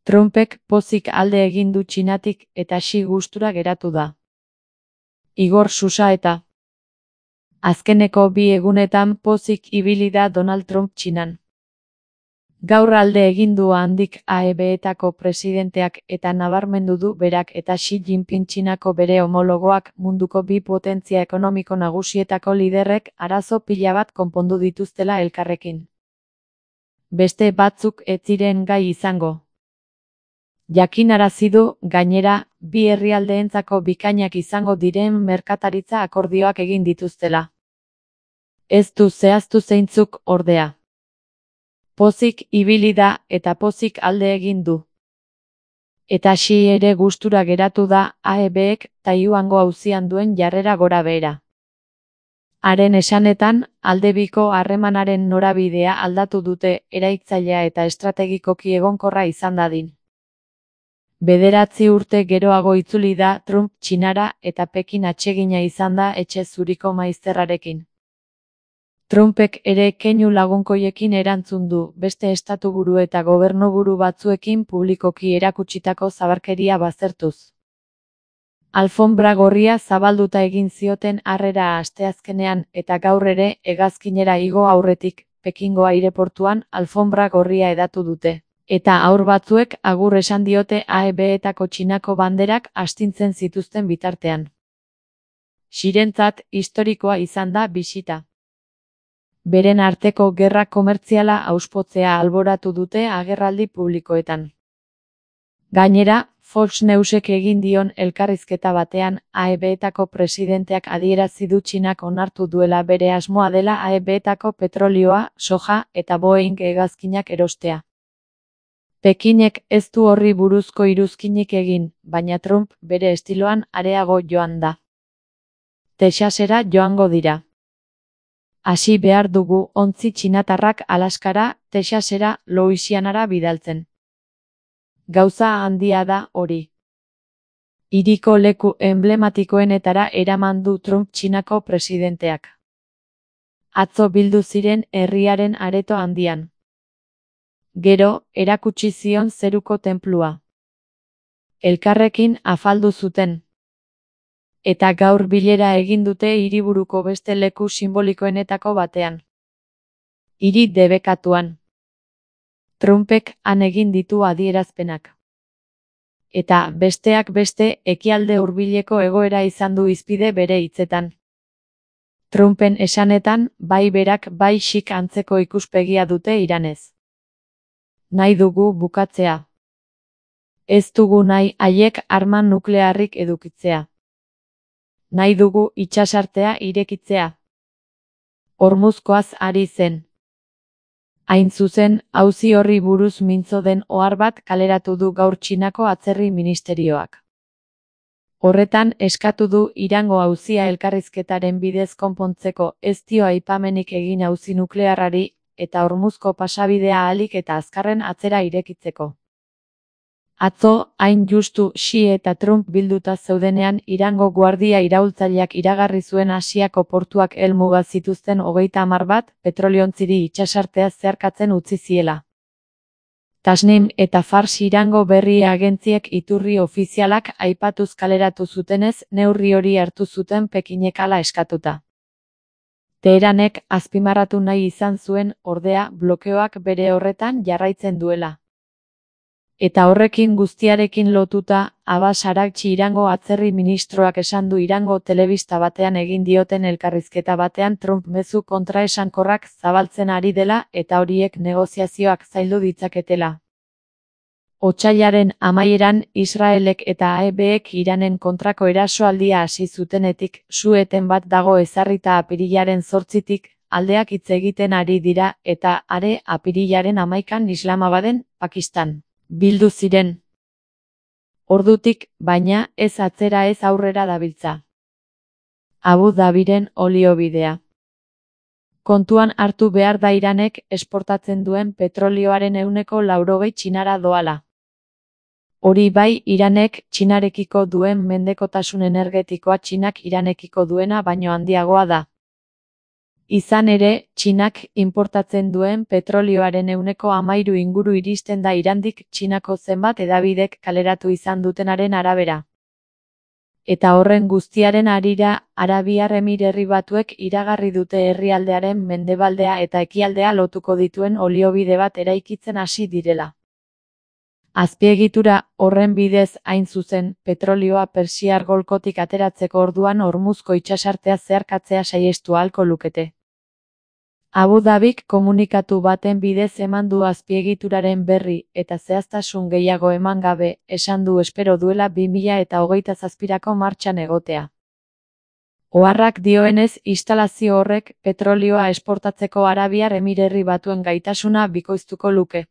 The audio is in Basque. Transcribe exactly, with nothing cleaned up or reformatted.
Trumpek pozik alde egin du Txinatik eta Xi gustura geratu da. Igor Susaeta. Azkeneko bi egunetan pozik ibili da Donald Trump Txinan. Gaur alde egin du handik A E B-etako presidenteak eta nabarmendu du berak eta Xi Jinping Txinako bere homologoak munduko bi potentzia ekonomiko nagusietako liderrek arazo pila bat konpondu dituztela elkarrekin. Beste batzuk ez ziren gai izango. Jakinarazi du, gainera, bi herrialdeentzako bikainak izango diren merkataritza akordioak egin dituztela. Ez du zehaztu zeintzuk, ordea. Pozik ibili da eta pozik alde egin du. Eta Xi ere gustura geratu da A E B-ek Taiwango auzian duen jarrera gorabehera. Haren esanetan, aldebiko harremanaren norabidea aldatu dute eraikitzailea eta estrategikoki egonkorra izan dadin. Bederatzi urte geroago itzuli da Trump Txinara eta Pekin atsegina izan da etxe zuriko maizterrarekin. Trumpek ere keinu lagunkoiekin erantzun du, beste estatuburu eta gobernuburu batzuekin publikoki erakutsitako zabarkeria baztertuz. Alfonbra gorria zabalduta egin zioten harrera asteazkenean eta gaur ere hegazkinera igo aurretik, Pekingo aireportuan alfonbra gorria hedatu dute. Eta haur batzuek agur esan diote A E B-etako Txinako banderak astintzen zituzten bitartean. Xirentzat historikoa izan da bisita. Beren arteko gerra komertziala auspotzea alboratu dute agerraldi publikoetan. Gainera, Fox Newsek egin dion elkarrizketa batean A E B-etako presidenteak adierazi du Txinak onartu duela bere asmoa dela A E B-etako petrolioa, soja eta Boeing hegazkinak erostea. Pekinek ez du horri buruzko iruzkinik egin, baina Trump bere estiloan areago joan da. Texasera joango dira. Hasi behar dugu ontzi txinatarrak Alaskara, Texasera, Louisianara bidaltzen. Gauza handia da hori. Hiriko leku emblematikoenetara eraman du Trump Txinako presidenteak. Atzo bildu ziren herriaren areto handian. Gero, erakutsi zion zeruko tenplua. Elkarrekin afaldu zuten. Eta gaur bilera egin dute hiriburuko beste leku simbolikoenetako batean. Hiri debekatuan. Trumpek han egin ditu adierazpenak. Eta, besteak beste, ekialde hurbileko egoera izan du hizpide bere hitzetan. Trumpen esanetan, bai berak bai Xik antzeko ikuspegia dute Iranez. Nahi dugu bukatzea. Ez dugu nahi haiek arma nuklearrik edukitzea. Nahi dugu itsasartea irekitzea. Hormuzkoaz ari zen. Hain zuzen, auzi horri buruz mintzo den ohar bat kaleratu du gaur Txinako atzerri ministerioak. Horretan eskatu du Irango auzia elkarrizketaren bidez konpontzeko ez dio aipamenik egin auzi nuklearrari eta Hormuzko pasabidea ahalik eta azkarren atzera irekitzeko. Atzo, hain justu Xi eta Trump bilduta zeudenean Irango guardia iraultzaileak iragarri zuen Asiako portuak helmuga zituzten hogeita hamar bat petroliontziri itsasartea zeharkatzen utzi ziela. Tasnim eta Fars Irango berri agentziek iturri ofizialak aipatuz kaleratu zutenez neurri hori hartu zuten Pekinek hala eskatuta. Teheranek azpimarratu nahi izan zuen, ordea, blokeoak bere horretan jarraitzen duela. Eta horrekin guztiarekin lotuta, Abbas Araghchi Irango atzerri ministroak esan du Irango telebista batean egin dioten elkarrizketa batean Trump mezu kontraesankorrak zabaltzen ari dela eta horiek negoziazioak zaildu ditzaketela. Otsailaren amaieran Israelek eta A E B-ek Iranen kontrako erasoaldia hasi zutenetik, su-eten bat dago ezarrita apirilaren zortzitik, aldeak hitz egiten ari dira eta are apirilaren hamaikan Islamabaden, Pakistan. Bildu ziren. Ordutik, baina, ez atzera ez aurrera dabiltza. Abu Dhabiren oliobidea. Kontuan hartu behar da Iranek esportatzen duen petrolioaren ehuneko laurogei Txinara doala. Hori bai, Iranek Txinarekiko duen mendekotasun energetikoa Txinak Iranekiko duena baino handiagoa da. Izan ere, Txinak inportatzen duen petrolioaren ehuneko hamairu inguru iristen da Irandik Txinako zenbait hedabidek kaleratu izan dutenaren arabera. Eta horren guztiaren harira, Arabiar Emirerri Batuek iragarri dute herrialdearen mendebaldea eta ekialdea lotuko dituen oliobide bat eraikitzen hasi direla. Azpiegitura horren bidez, hain zuzen, petrolioa Persiar golkotik ateratzeko orduan Hormuzko itsasartea zeharkatzea saihestu ahalko lukete. Abu Dhabik komunikatu baten bidez eman du azpiegituraren berri, eta zehaztasun gehiago eman gabe, esan du espero duela bi mila eta hogeita zazpirako martxan egotea. Oharrak dioenez, instalazio horrek petrolioa esportatzeko Arabiar Emirerri Batuen gaitasuna bikoiztuko luke.